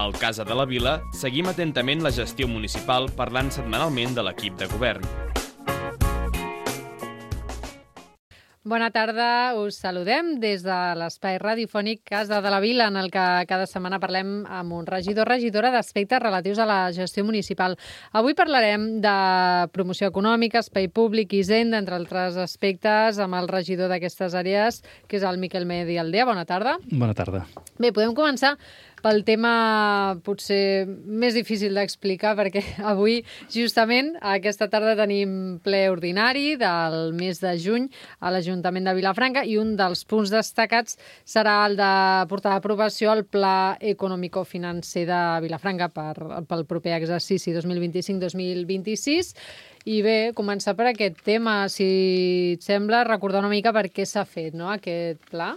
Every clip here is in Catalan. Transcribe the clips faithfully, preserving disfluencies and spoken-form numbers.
Al Casa de la Vila seguim atentament la gestió municipal parlant setmanalment de l'equip de govern. Bona tarda, us saludem des de l'espai radiofònic Casa de la Vila, en el que cada setmana parlem amb un regidor o regidora d'aspectes relatius a la gestió municipal. Avui parlarem de promoció econòmica, espai públic, hisenda, entre altres aspectes, amb el regidor d'aquestes àrees, que és el Miquel Medialdea. Bona tarda. Bona tarda. Bé, podem començar pel tema potser més difícil d'explicar, perquè avui, justament, aquesta tarda tenim ple ordinari del mes de juny a l'Ajuntament de Vilafranca i un dels punts destacats serà el de portar a aprovació el Pla Econòmico-Financer de Vilafranca per, pel proper exercici dos mil vint-i-cinc dos mil vint-i-sis. I bé, començar per aquest tema, si et sembla, recordar una mica per què s'ha fet, no?, aquest pla.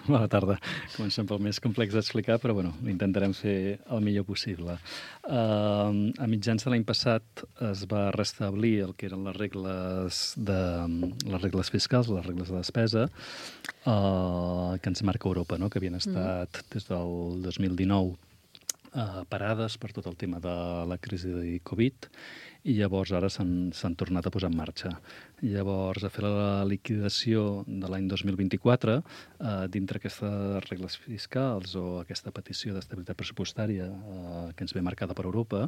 Bona tarda. Comencem pel més complex d'explicar, però bueno, intentarem fer el millor possible. Uh, a mitjans de l'any passat es va restablir el que eren les regles, de, les regles fiscals, les regles de despesa, uh, que ens marca Europa, no?, que havien estat mm. des del dos mil dinou uh, parades per tot el tema de la crisi de Covid, i llavors ara s'han tornat a posar en marxa. Llavors, a fer la liquidació de l'any dos mil vint-i-quatre, eh, dintre aquestes regles fiscals o aquesta petició d'estabilitat pressupostària eh, que ens ve marcada per Europa,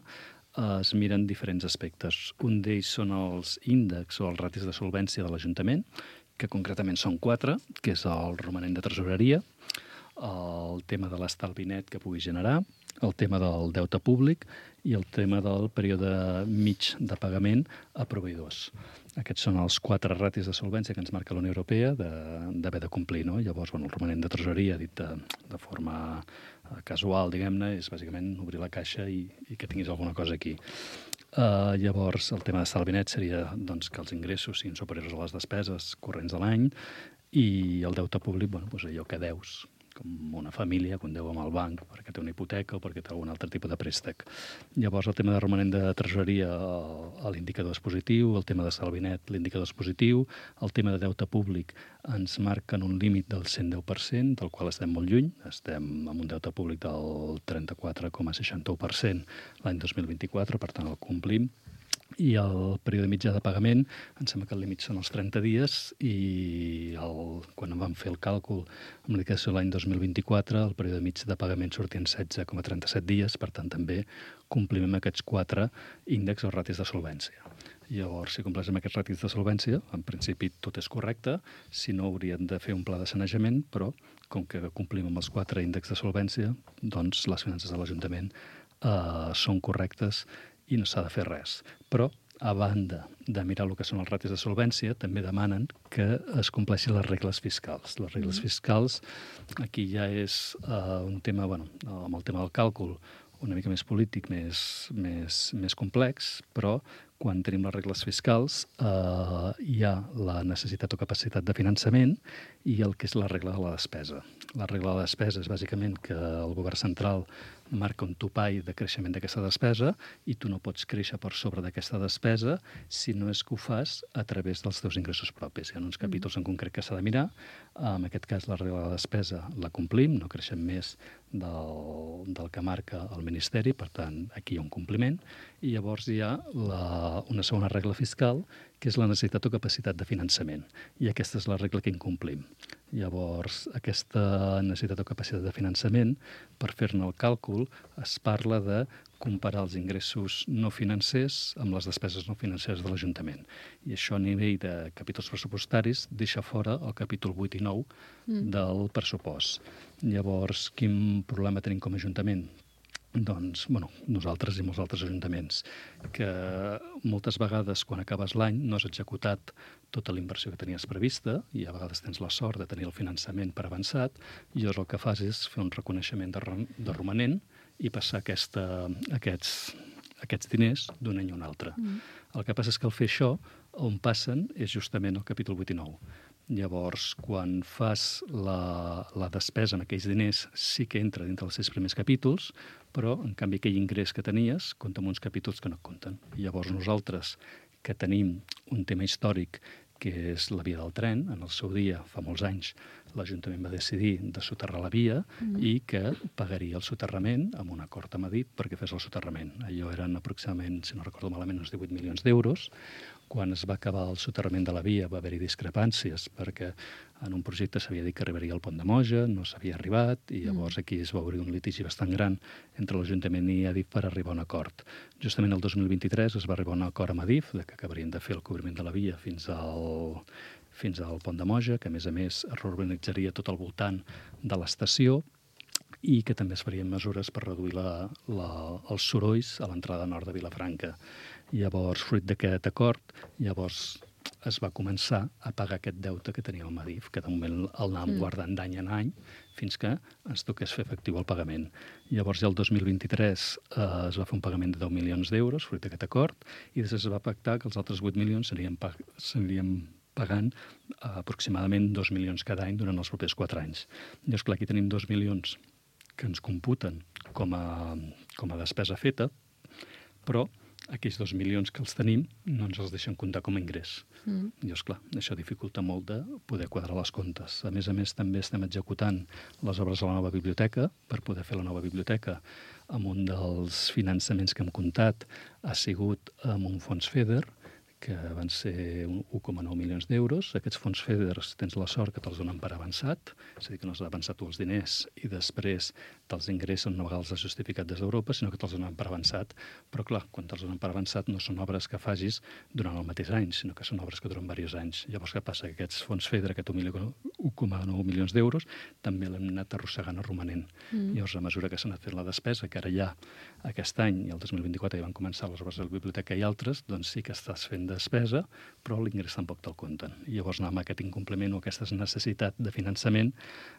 eh, es miren diferents aspectes. Un d'ells són els índexs o els ratis de solvència de l'Ajuntament, que concretament són quatre, que és el romanent de tresoreria, el tema de l'estalvi net que pugui generar, el tema del deute públic i el tema del període mig de pagament a proveïdors. Aquests són els quatre ratis de solvència que ens marca la Unió Europea d'haver de, de complir, no? Llavors, bueno, el romanent de tresoreria, dit de, de forma casual, diguem-ne, és bàsicament obrir la caixa i, i que tinguis alguna cosa aquí. Uh, llavors, el tema d'estalvi net seria doncs, que els ingressos siguin superiors a les despeses corrents de l'any i el deute públic, bueno, doncs allò que deus, com una família, quan deu amb el banc perquè té una hipoteca o perquè té algun altre tipus de préstec. Llavors, el tema de romanent de tresoreria, l'indicador és positiu, el tema de salvi net, l'indicador és positiu, el tema de deute públic ens marquen un límit del cent deu per cent, del qual estem molt lluny, estem amb un deute públic del trenta-quatre coma seixanta-u per cent l'any dos mil vint-i-quatre, per tant el complim. I el període mitjà de pagament, em sembla que el límit són els trenta dies i el, quan em van fer el càlcul amb liquidació l'any dos mil vint-i-quatre, el període mig de pagament sortia en setze coma trenta-set dies, per tant també complim amb aquests quatre índexs o ratis de solvència. Llavors, si compleix amb aquests ratis de solvència, en principi tot és correcte, si no haurien de fer un pla de sanejament, però com que complim amb els quatre índexs de solvència, doncs les finances de l'Ajuntament eh, són correctes i no s'ha de fer res. Però, a banda de mirar el que són els ratis de solvència, també demanen que es compleixin les regles fiscals. Les regles mm. fiscals, aquí ja és uh, un tema, bueno, amb el tema del càlcul, una mica més polític, més, més, més complex, però quan tenim les regles fiscals eh, hi ha la necessitat o capacitat de finançament i el que és la regla de la despesa. La regla de la despesa és bàsicament que el govern central marca un topall de creixement d'aquesta despesa i tu no pots créixer per sobre d'aquesta despesa si no és que ho fas a través dels teus ingressos propis. Hi ha uns capítols en concret que s'ha de mirar. En aquest cas, la regla de la despesa la complim, no creixem més del, del que marca el Ministeri, per tant, aquí hi ha un compliment. I llavors hi ha la, una segona regla fiscal, que és la necessitat o capacitat de finançament. I aquesta és la regla que incomplim. Llavors, aquesta necessitat o capacitat de finançament, per fer-ne el càlcul, es parla de comparar els ingressos no financers amb les despeses no financeres de l'Ajuntament. I això a nivell de capítols pressupostaris deixa fora el capítol vuit i nou mm. del pressupost. Llavors, quin problema tenim com a Ajuntament? Doncs, bueno, nosaltres i molts altres ajuntaments, que moltes vegades quan acabes l'any no has executat tota la inversió que tenies prevista i a vegades tens la sort de tenir el finançament per avançat i llavors el que fas és fer un reconeixement de, de romanent i passar aquesta, aquests, aquests diners d'un any a un altre. Mm. El que passa és que al fer això, on passen és justament el capítol vuit i nou. Llavors, quan fas la, la despesa amb aquells diners, sí que entra dintre dels sis primers capítols, però, en canvi, aquell ingrés que tenies compta amb uns capítols que no et compten. I llavors nosaltres, que tenim un tema històric que és la via del tren. En el seu dia, fa molts anys, l'Ajuntament va decidir de soterrar la via mm. i que pagaria el soterrament amb un acord amb Adif perquè fes el soterrament. Allò eren aproximadament, si no recordo malament, uns divuit milions d'euros. Quan es va acabar el soterrament de la via va haver-hi discrepàncies perquè en un projecte s'havia dit que arribaria al pont de Moja, no s'havia arribat i llavors aquí es va obrir un litigi bastant gran entre l'Ajuntament i Adif per arribar a un acord. Justament el dos mil vint-i-tres es va arribar a un acord amb Adif de que acabarien de fer el cobriment de la via fins al, fins al pont de Moja, que a més a més es reurbanitzaria tot al voltant de l'estació i que també es farien mesures per reduir la, la, els sorolls a l'entrada nord de Vilafranca. Llavors, fruit d'aquest acord, llavors es va començar a pagar aquest deute que tenia el Adif, que de moment el anàvem mm. guardant d'any en any fins que ens toqués fer efectiu el pagament. Llavors, ja el dos mil vint-i-tres eh, es va fer un pagament de deu milions d'euros, fruit d'aquest acord, i després es va pactar que els altres vuit milions serien, pag serien pagant eh, aproximadament dos milions cada any durant els propers quatre anys. Llavors, clar, aquí tenim dos milions que ens computen com a, com a despesa feta, però aquells dos milions que els tenim no ens els deixen comptar com a ingrés. Mm. I, esclar, això dificulta molt de poder quadrar les comptes. A més a més, també estem executant les obres a la nova biblioteca. Per poder fer la nova biblioteca, amb un dels finançaments que hem comptat ha sigut amb un fons FEDER, que van ser un un coma nou milions d'euros. Aquests fons FEDER tens la sort que te'ls donen per avançat, és a dir, que no has d'avançar tu els diners i després te'ls ingressen una vegada els has justificat des d'Europa, sinó que te'ls donen per avançat. Però, clar, quan te'ls donen per avançat no són obres que facis durant el mateix any, sinó que són obres que duren diversos anys. Llavors, què passa? Que aquests fons FEDER, aquest un coma nou milions d'euros, també l'hem anat arrossegant a romanent. Mm. Llavors, a mesura que s'ha anat fent la despesa, que ara ja aquest any i el dos mil vint-i-quatre ja van començar les obres de la biblioteca i altres, doncs sí que estàs fent despesa, però l'ingrés tampoc te'l compten. I llavors anem a aquest incompliment o aquesta necessitat de finançament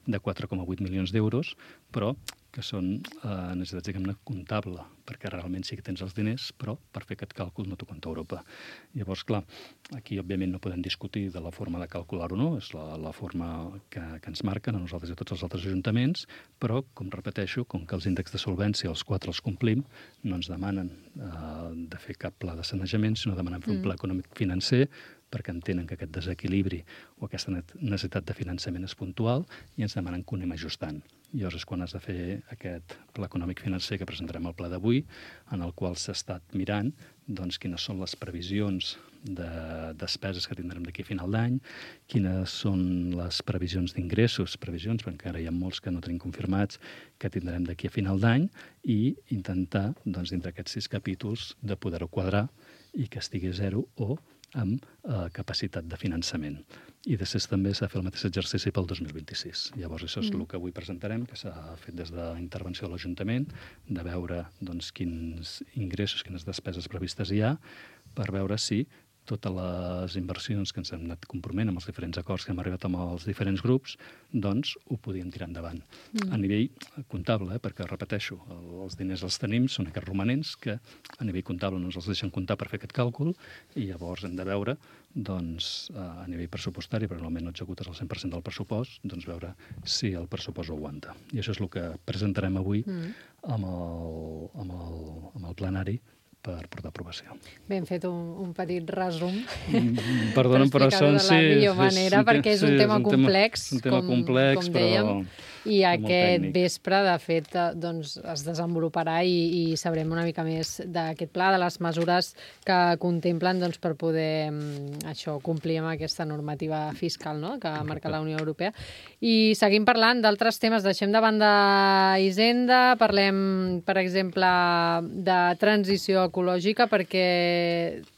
de quatre coma vuit milions d'euros, però que són eh, necessitats, diguem-ne, comptable, perquè realment sí que tens els diners, però per fer aquest càlcul no t'ho compta Europa. Llavors, clar, aquí òbviament no podem discutir de la forma de calcular o no, és la, la forma que, que ens marquen a nosaltres i a tots els altres ajuntaments, però, com repeteixo, com que els índexs de solvència, els quatre els complim, no ens demanen eh, de fer cap pla de sanejament, sinó demanen fer mm. un pla econòmic financer, perquè entenen que aquest desequilibri o aquesta necessitat de finançament és puntual i ens demanen que ho anem ajustant. Llavors és quan has de fer aquest pla econòmic financer que presentarem al ple d'avui, en el qual s'ha estat mirant doncs, quines són les previsions de despeses que tindrem d'aquí a final d'any, quines són les previsions d'ingressos, previsions, perquè encara hi ha molts que no tenim confirmats, que tindrem d'aquí a final d'any, i intentar, doncs, dintre aquests sis capítols, de poder-ho quadrar i que estigui a zero o amb eh, capacitat de finançament. I després també s'ha de fer el mateix exercici pel dos mil vint-i-sis. Llavors, això és mm. el que avui presentarem, que s'ha fet des de la intervenció de l'Ajuntament, de veure doncs, quins ingressos, quines despeses previstes hi ha, per veure si totes les inversions que ens hem anat comproment amb els diferents acords que hem arribat amb els diferents grups, doncs ho podíem tirar endavant. Mm. A nivell comptable, eh, perquè, repeteixo, els diners els tenim, són aquests romanents que a nivell comptable no ens els deixen comptar per fer aquest càlcul i llavors hem de veure, doncs, a nivell pressupostari, però normalment no executes el cent per cent del pressupost, doncs veure si el pressupost ho aguanta. I això és el que presentarem avui mm. amb, el, amb, el, amb el plenari per portar aprovació. Ben fet un, un petit resum. Mm, Perdona, però són... de la millor manera, és, perquè és un sí, tema és un complex, tema, un tema com, complex, com dèiem, però... i aquest vespre, de fet, doncs, es desenvoluparà i, i sabrem una mica més d'aquest pla, de les mesures que contemplen doncs, per poder això complir amb aquesta normativa fiscal, no?, que marca la Unió Europea. I seguim parlant d'altres temes. Deixem de banda Hisenda, parlem, per exemple, de transició ecològica, perquè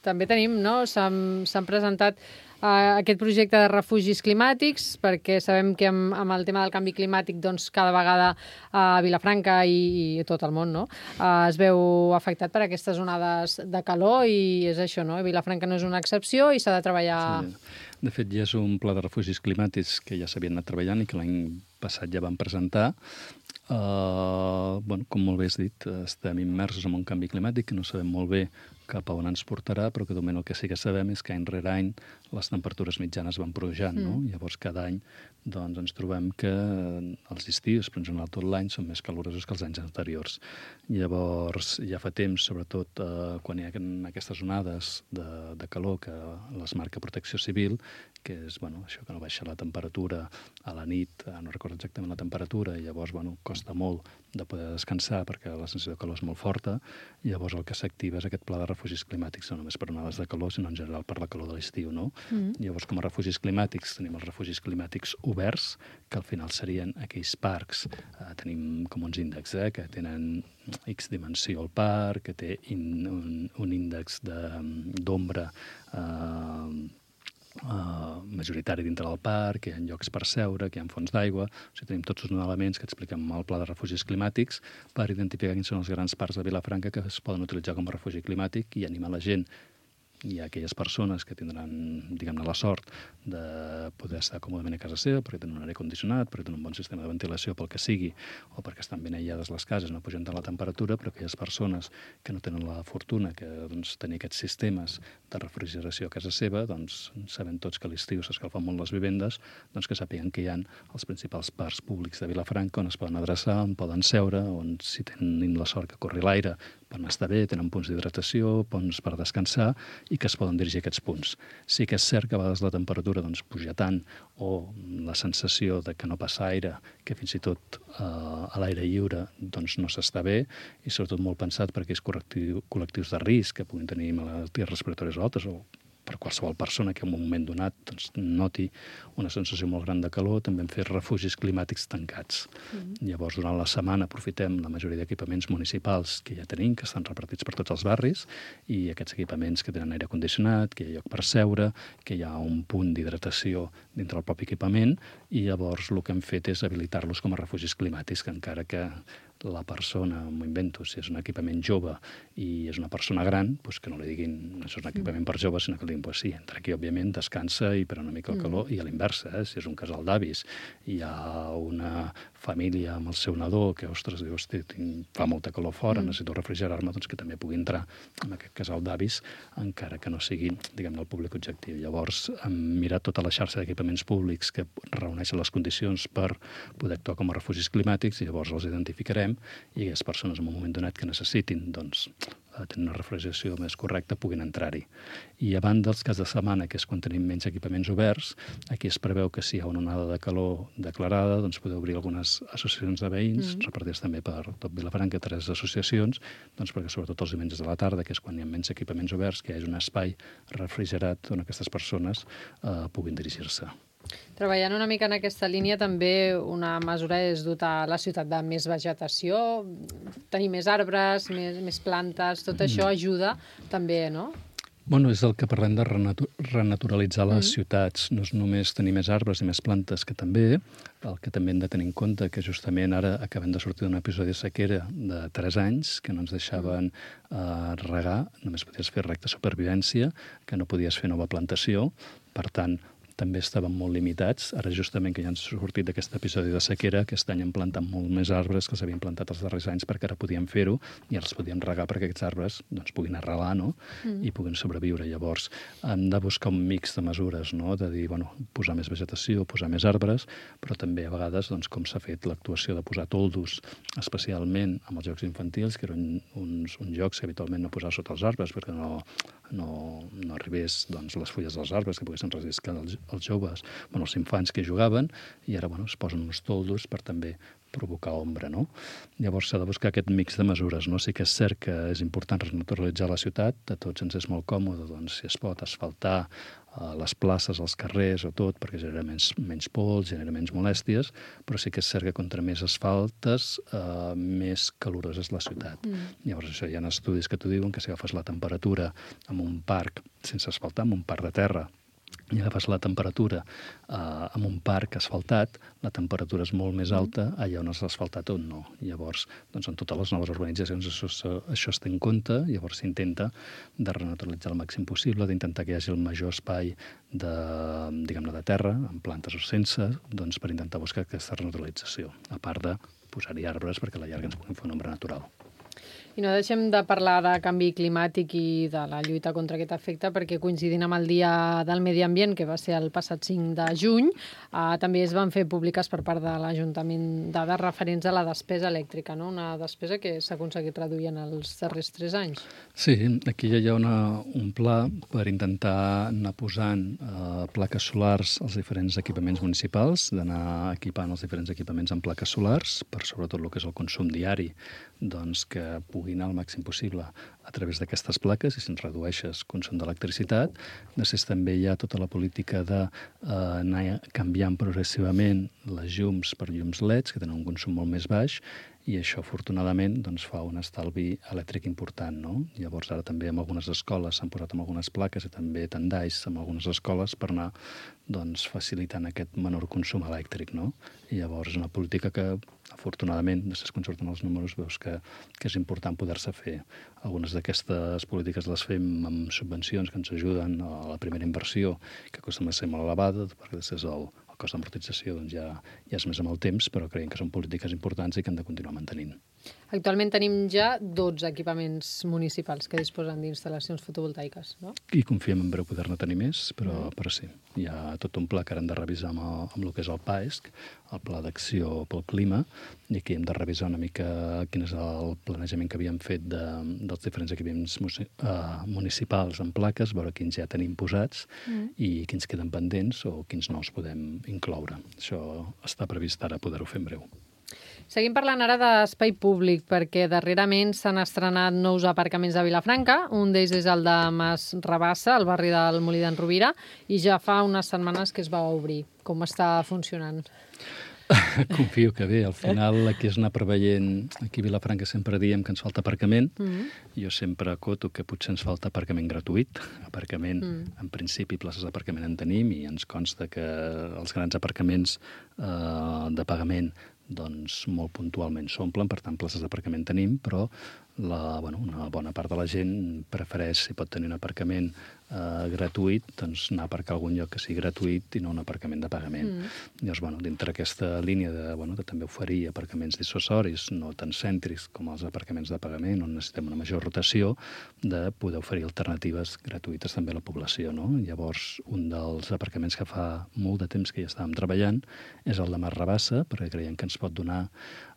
també tenim, no?, s'han presentat Uh, aquest projecte de refugis climàtics, perquè sabem que amb, amb el tema del canvi climàtic doncs, cada vegada a uh, Vilafranca i, i tot el món, no? uh, es veu afectat per aquestes onades de calor i és això, no? Vilafranca no és una excepció i s'ha de treballar... Sí. De fet, ja és un pla de refugis climàtics que ja s'havien anat treballant i que l'any passat ja van presentar. Uh, bueno, com molt bé has dit, estem immersos en un canvi climàtic que no sabem molt bé cap a on ens portarà, però que de moment el que sí que sabem és que any rere any les temperatures mitjanes van pujant, mm. no? Llavors cada any doncs, ens trobem que els estius, però en general tot l'any, són més calorosos que els anys anteriors. Llavors, ja fa temps, sobretot eh, quan hi ha aquestes onades de, de calor que les marca Protecció Civil, que és bueno, això que no baixa la temperatura a la nit, no recordo exactament la temperatura, i llavors bueno, costa molt de poder descansar perquè la sensació de calor és molt forta, i llavors el que s'activa és aquest pla de refugis climàtics, no només per onades de calor, sinó en general per la calor de l'estiu, no? Mm. Llavors, com a refugis climàtics, tenim els refugis climàtics oberts, que al final serien aquells parcs, eh, tenim com uns índexs, eh, que tenen X dimensió al parc, que té in, un, un índex d'ombra eh, Uh, majoritari dintre del parc, que hi ha llocs per seure, que hi ha fons d'aigua. O sigui, tenim tots uns elements que expliquem al pla de refugis climàtics per identificar quins són els grans parcs de Vilafranca que es poden utilitzar com a refugi climàtic i animar la gent i aquelles persones que tindran, diguem-ne, la sort de poder estar còmodament a casa seva perquè tenen un aire condicionat, perquè tenen un bon sistema de ventilació pel que sigui, o perquè estan ben aïllades les cases, no pugen tant la temperatura, però aquelles persones que no tenen la fortuna que doncs, tenir aquests sistemes de refrigeració a casa seva, doncs sabem tots que a l'estiu s'escalfen molt les vivendes, doncs que sàpiguen que hi ha els principals parcs públics de Vilafranca on es poden adreçar, on poden seure, on si tenen la sort que corri l'aire poden estar bé, tenen punts d'hidratació, punts per descansar i que es poden dirigir a aquests punts. Sí que és cert que a vegades la temperatura doncs, puja tant o la sensació de que no passa aire, que fins i tot eh, a l'aire lliure doncs, no s'està bé i sobretot molt pensat per aquells col·lectius de risc que puguin tenir malalties respiratòries altes o per qualsevol persona que en un moment donat doncs, noti una sensació molt gran de calor, també hem fet refugis climàtics tancats. Mm-hmm. Llavors, durant la setmana aprofitem la majoria d'equipaments municipals que ja tenim, que estan repartits per tots els barris, i aquests equipaments que tenen aire condicionat, que hi ha lloc per seure, que hi ha un punt d'hidratació dintre del propi equipament, i llavors el que hem fet és habilitar-los com a refugis climàtics, que encara que la persona, m'ho invento, si és un equipament jove i és una persona gran, doncs que no li diguin això és un equipament per jove, sinó que li diguin, pues sí, entra aquí, òbviament, descansa i per una mica el calor, mm. i a l'inversa, eh? Si és un casal d'avis, hi ha una família amb el seu nadó que, ostres, diu, hosti, tinc, fa molta calor fora, mm. necessito refrigerar-me, doncs que també pugui entrar en aquest casal d'avis, encara que no sigui, diguem-ne, el públic objectiu. Llavors, hem mirat tota la xarxa d'equipaments públics que reuneixen les condicions per poder actuar com a refugis climàtics i llavors els identificarem i aquelles persones en un moment donat que necessitin doncs, tenir una refrigeració més correcta puguin entrar-hi. I a banda dels casos de setmana, que és quan tenim menys equipaments oberts, aquí es preveu que si hi ha una onada de calor declarada, doncs podeu obrir algunes associacions de veïns, mm. repartides també per tot Vilafranca, tres associacions, doncs perquè sobretot els diumenges de la tarda, que és quan hi ha menys equipaments oberts, que hi hagi un espai refrigerat on aquestes persones eh, puguin dirigir-se. Treballant una mica en aquesta línia, també una mesura és dotar la ciutat de més vegetació, tenir més arbres, més, més plantes, tot això ajuda també, no? Bueno, és el que parlem de renatu renaturalitzar les mm. ciutats. No és només tenir més arbres i més plantes, que també, el que també hem de tenir en compte, que justament ara acabem de sortir d'un episodi de sequera de tres anys, que no ens deixaven eh, regar, només podies fer recta supervivència, que no podies fer nova plantació, per tant, també estaven molt limitats. Ara, justament, que ja han sortit d'aquest episodi de sequera, aquest any han plantat molt més arbres que els havien plantat els darrers anys perquè ara podíem fer-ho i ara els podíem regar perquè aquests arbres doncs, puguin arrelar, no? Mm. I puguin sobreviure. Llavors, hem de buscar un mix de mesures, no? De dir, bueno, posar més vegetació, posar més arbres, però també a vegades, doncs, com s'ha fet l'actuació de posar toldos, especialment amb els jocs infantils, que eren uns, uns jocs que habitualment no posar sota els arbres perquè no, no, no arribés doncs, les fulles dels arbres que poguessin resistir els, els joves, bueno, els infants que jugaven, i ara bueno, es posen uns toldos per també provocar ombra, no? Llavors s'ha de buscar aquest mix de mesures, no? Sí que és cert que és important renaturalitzar la ciutat, a tots ens és molt còmode, doncs, si es pot asfaltar eh, les places, els carrers o tot, perquè genera menys, menys pols, genera menys molèsties, però sí que és cert que contra més asfaltes, eh, més calorosa és la ciutat. Mm. Llavors això hi ha estudis que t'ho diuen, que si agafes la temperatura en un parc sense asfaltar, en un parc de terra, i agafes la temperatura eh, en un parc asfaltat, la temperatura és molt més alta allà on és asfaltat o no. Llavors, doncs, en totes les noves urbanitzacions això, això es té en compte, llavors s'intenta de renaturalitzar el màxim possible, d'intentar que hi hagi el major espai de, diguem-ne, de terra, amb plantes o sense, doncs, per intentar buscar aquesta renaturalització, a part de posar-hi arbres perquè a la llarga ens puguin fer una ombra natural. I no deixem de parlar de canvi climàtic i de la lluita contra aquest efecte, perquè coincidint amb el Dia del Medi Ambient, que va ser el passat cinc de juny, eh, també es van fer públiques per part de l'Ajuntament dades referents a la despesa elèctrica, no? Una despesa que s'ha aconseguit reduir en els darrers tres anys. Sí, aquí ja hi ha una, un pla per intentar anar posant eh, plaques solars als diferents equipaments municipals, d'anar equipant els diferents equipaments amb plaques solars, per sobretot el que és el consum diari, doncs que pugui anar al màxim possible a través d'aquestes plaques i si ens redueixes consum d'electricitat. Després també hi ha tota la política d'anar eh, canviant progressivament les llums per llums L E Ds, que tenen un consum molt més baix, i això, afortunadament, doncs, fa un estalvi elèctric important, no? Llavors, ara també en algunes escoles s'han posat amb algunes plaques i també tendalls en algunes escoles per anar doncs, facilitant aquest menor consum elèctric, no? I llavors és una política que, afortunadament, després quan surten els números veus que, que és important poder-se fer. Algunes d'aquestes polítiques les fem amb subvencions que ens ajuden a la primera inversió, que costa més ser molt elevada, perquè després el, el cost d'amortització doncs, ja, ja és més amb el temps, però creiem que són polítiques importants i que hem de continuar mantenint. Actualment tenim ja dotze equipaments municipals que disposen d'instal·lacions fotovoltaiques, no? I confiem en breu poder-ne tenir més, però, mm. però sí. Hi ha tot un pla que ara hem de revisar amb el, amb el que és el PAESC, el Pla d'Acció pel Clima, i aquí hem de revisar una mica quin és el planejament que havíem fet de, dels diferents equipaments uh, municipals en plaques, veure quins ja tenim posats mm. i quins queden pendents o quins nous podem incloure. Això està previst ara poder-ho fer en breu. Seguim parlant ara d'espai públic, perquè darrerament s'han estrenat nous aparcaments a Vilafranca. Un d'ells és el de Mas Rabassa, al barri del Molí d'en Rovira, i ja fa unes setmanes que es va obrir. Com està funcionant? Confio que bé. Al final, aquí és anar preveient... Aquí a Vilafranca sempre diem que ens falta aparcament. Mm-hmm. Jo sempre acoto que potser ens falta aparcament gratuït. Aparcament, mm. en principi, places d'aparcament en tenim i ens consta que els grans aparcaments eh, de pagament doncs molt puntualment s'omplen, per tant, places d'aparcament tenim, però la, bueno, una bona part de la gent prefereix, si pot tenir un aparcament eh, gratuït, doncs anar a aparcar a algun lloc que sigui gratuït i no un aparcament de pagament. Mm. Llavors, bueno, dintre aquesta línia de, bueno, de també oferir aparcaments dissuasoris, no tan cèntrics com els aparcaments de pagament, on necessitem una major rotació, de poder oferir alternatives gratuïtes també a la població, no? Llavors, un dels aparcaments que fa molt de temps que ja estàvem treballant és el de Mas Rabassa, perquè creiem que ens pot donar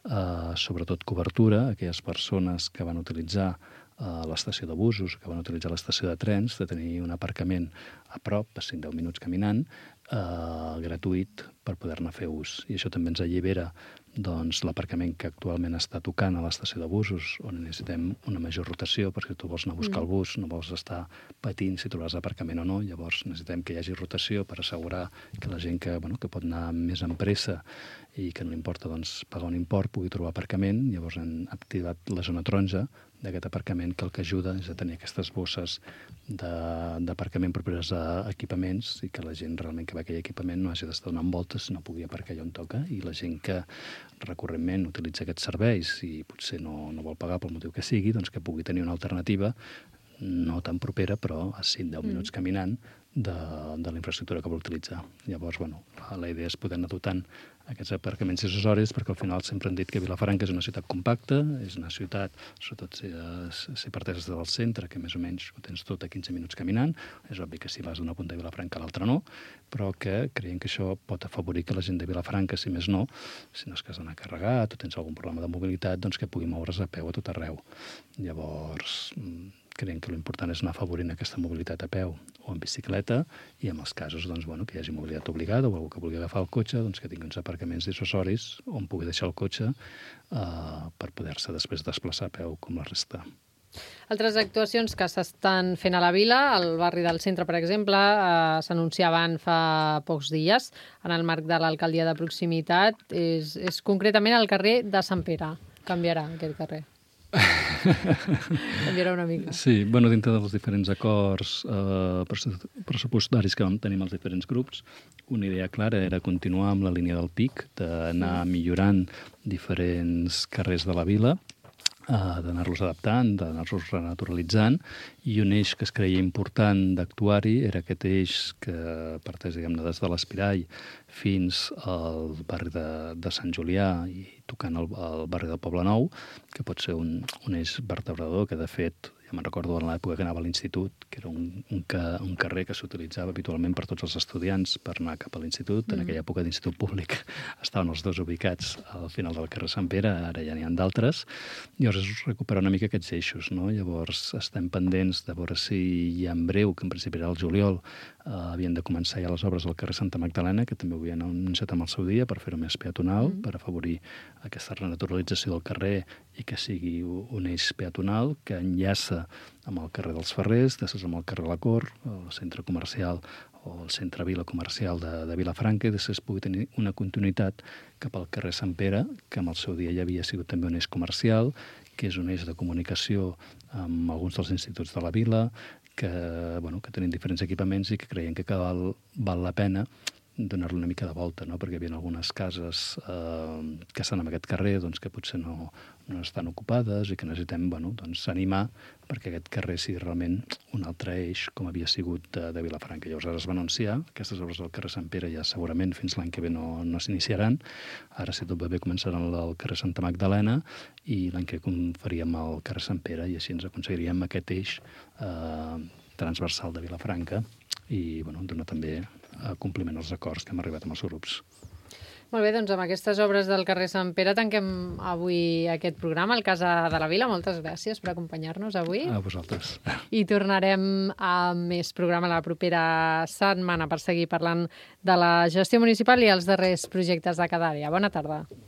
eh, sobretot cobertura a aquelles persones que van utilitzar eh, l'estació de busos, que van utilitzar l'estació de trens, de tenir un aparcament a prop, a cinc a deu minuts caminant, eh, gratuït per poder-ne fer ús. I això també ens allibera doncs, l'aparcament que actualment està tocant a l'estació de busos, on necessitem una major rotació, perquè si tu vols anar a buscar mm. el bus, no vols estar patint si trobaràs aparcament o no, llavors necessitem que hi hagi rotació per assegurar que la gent que, bueno, que pot anar més en pressa i que no li importa doncs, pagar un import pugui trobar aparcament. Llavors hem activat la zona taronja d'aquest aparcament, que el que ajuda és a tenir aquestes bosses d'aparcament properes a equipaments i que la gent realment que va a aquell equipament no hagi d'estar donant voltes, no pugui aparcar allà on toca, i la gent que recurrentment utilitza aquests serveis i potser no, no vol pagar pel motiu que sigui, doncs que pugui tenir una alternativa no tan propera, però a cinc a deu minuts caminant de, de la infraestructura que vol utilitzar. Llavors, bueno, la idea és poder anar dotant aquests aparcaments dissuasoris, perquè al final sempre hem dit que Vilafranca és una ciutat compacta, és una ciutat, sobretot si, si parteixes del centre, que més o menys ho tens tot a quinze minuts caminant. És obvi que si vas d'una punta de Vilafranca a l'altra no, però que creiem que això pot afavorir que la gent de Vilafranca, si més no, si no és que has d'anar carregat o tens algun problema de mobilitat, doncs que pugui moure's a peu a tot arreu. Llavors, creiem que l'important és anar afavorint aquesta mobilitat a peu o en bicicleta, i en els casos doncs, bueno, que hi hagi mobilitat obligada o algú que vulgui agafar el cotxe, doncs, que tingui uns aparcaments dissuasoris on pugui deixar el cotxe eh, per poder-se després desplaçar a peu com la resta. Altres actuacions que s'estan fent a la vila, al barri del centre, per exemple, eh, s'anunciaven fa pocs dies en el marc de l'alcaldia de proximitat. És, és concretament al carrer de Sant Pere. Canviarà aquest carrer. Canviarà una mica. Sí, bueno, dintre dels diferents acords eh, pressupostaris que vam tenir amb els diferents grups, una idea clara era continuar amb la línia del P I C, d'anar millorant diferents carrers de la vila, Uh, d'anar-los adaptant, d'anar-los renaturalitzant, i un eix que es creia important d'actuar-hi era aquest eix que parteix, diguem-ne, des de l'Espirall fins al barri de, de Sant Julià i tocant el, el barri del Poble Nou, que pot ser un, un eix vertebrador que, de fet, ja me'n recordo en l'època que anava a l'institut, que era un, un, ca, un carrer que s'utilitzava habitualment per tots els estudiants per anar cap a l'institut. Mm. En aquella època d'institut públic estaven els dos ubicats al final del carrer Sant Pere, ara ja n'hi ha d'altres. Llavors és recuperar una mica aquests eixos, no? Llavors estem pendents de veure si ja en breu, que en principi era el juliol, eh, havien de començar ja les obres al carrer Santa Magdalena, que també ho havien anunciat amb el seu dia per fer-ho més peatonal, mm. per afavorir aquesta renaturalització del carrer i que sigui un eix peatonal que enllaça amb el carrer dels Ferrers, després amb el carrer La Cor, el centre comercial o el centre vila comercial de, de Vilafranca, i després pugui tenir una continuïtat cap al carrer Sant Pere, que en el seu dia ja havia sigut també un eix comercial, que és un eix de comunicació amb alguns dels instituts de la vila, que, bueno, que tenen diferents equipaments i que creiem que val, val la pena donar-li una mica de volta, no? Perquè hi havia algunes cases eh, que estan en aquest carrer doncs, que potser no, no estan ocupades i que necessitem bueno, doncs, animar perquè aquest carrer sigui realment un altre eix com havia sigut de, de Vilafranca. Llavors ara es va anunciar, aquestes obres del carrer Sant Pere ja segurament fins l'any que ve no, no s'iniciaran. Ara, si tot va bé, començaran al carrer Santa Magdalena i l'any que ve faríem el carrer Sant Pere i així ens aconseguiríem aquest eix eh, transversal de Vilafranca i bueno, donar també a compliment als acords que hem arribat amb els grups. Molt bé, doncs amb aquestes obres del carrer Sant Pere tanquem avui aquest programa, el Casa de la Vila. Moltes gràcies per acompanyar-nos avui. A vosaltres. I tornarem a més programa la propera setmana per seguir parlant de la gestió municipal i els darrers projectes de cada àrea. Bona tarda.